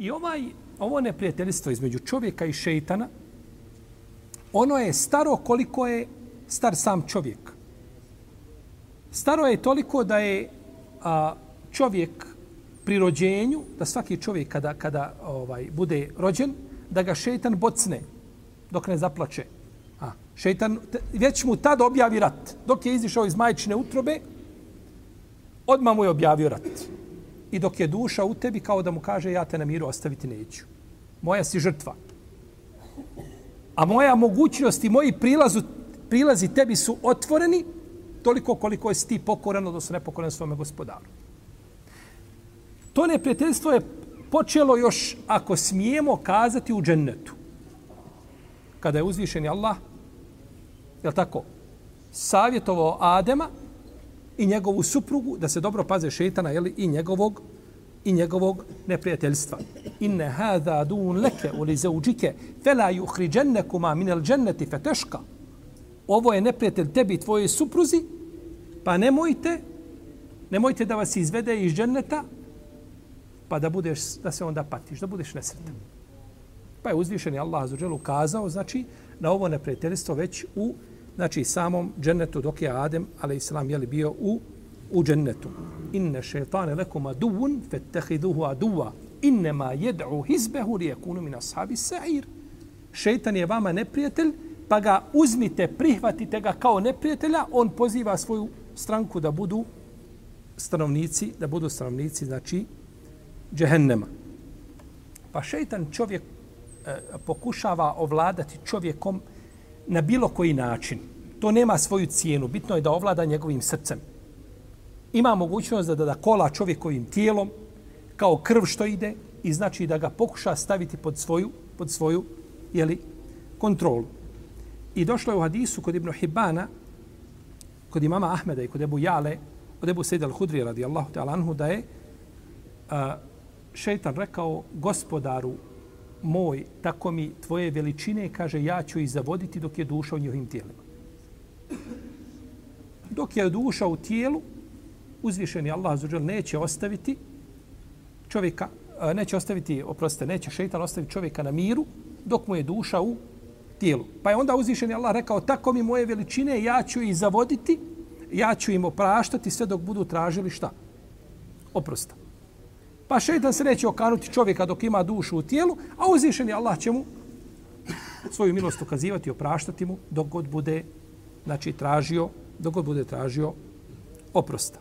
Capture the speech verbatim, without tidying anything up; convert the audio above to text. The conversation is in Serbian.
I ovaj, ovo neprijateljstvo između čovjeka i šejtana, ono je staro koliko je star sam čovjek. Staro je toliko da je a, čovjek pri rođenju, da svaki čovjek kada, kada ovaj, bude rođen, da ga šejtan bocne dok ne zaplače. A, šejtan već mu tad objavi rat. Dok je izišao iz majčine utrobe, odmah mu je objavio rat. I dok je duša u tebi, kao da mu kaže, ja te na miru ostaviti neću. Moja si žrtva. A moja mogućnost i moji prilazu, prilazi tebi su otvoreni toliko koliko je ti pokoran, odnosno nepokoran svome gospodaru. To neprijateljstvo je počelo još, ako smijemo kazati, u džennetu. Kada je uzvišeni Allah, je tako, savjetovao Adema i njegovu suprugu da se dobro paze šejtana, jeli, i njegovog i njegovog neprijateljstva. Inne hada dun leke u li zauđike fela yuhriđennekuma minel dženneti feteška. Ovo je neprijatelj tebi i tvojoj supruzi, pa nemojte, nemojte da vas izvede iz dženneta, pa da budeš, da se onda patiš, da budeš nesretan. Pa je uzvišeni Allah azuđel ukazao, znači, na ovo neprijateljstvo već u, znači, samom džennetu, dok je Adem, alejselam, je li bio u, u džennetu. Inne šeitane lekum aduvun, fettehiduhu aduva, innema jed'u hizbehu li yakunu min ashabi sa'ir. Šeitan je vama neprijatelj, pa ga uzmite, prihvatite ga kao neprijatelja, on poziva svoju stranku da budu stanovnici, da budu stanovnici, znači, džehennema. Pa šeitan čovjek e, pokušava ovladati čovjekom na bilo koji način. To nema svoju cijenu. Bitno je da ovlada njegovim srcem. Ima mogućnost da da kola čovjekovim tijelom kao krv što ide i znači da ga pokuša staviti pod svoju, pod svoju jeli, kontrolu. I došlo je u hadisu kod Ibn Hibana, kod imama Ahmeda i kod Ebu Jale, od Ebu Sejda al-Hudri radijallahu ta'ala anhu, da je a, šeitan rekao, gospodaru moj, tako mi tvoje veličine, kaže, ja ću ih zavoditi dok je duša u njihovim tijelima. Dok je duša u tijelu, uzvišeni Allah azuđel neće ostaviti čovjeka, neće ostaviti, oprostite, neće šeitan ostaviti čovjeka na miru dok mu je duša u tijelu. Pa je onda uzvišeni Allah rekao, tako mi moje veličine, ja ću ih zavoditi, ja ću im opraštati sve dok budu tražili šta? Oprosta. Pa šeitan se neće okanuti čovjeka dok ima dušu u tijelu, a uzvišeni Allah će mu svoju milost ukazivati i opraštati mu dok god bude, znači, tražio, dok god bude tražio oprosta.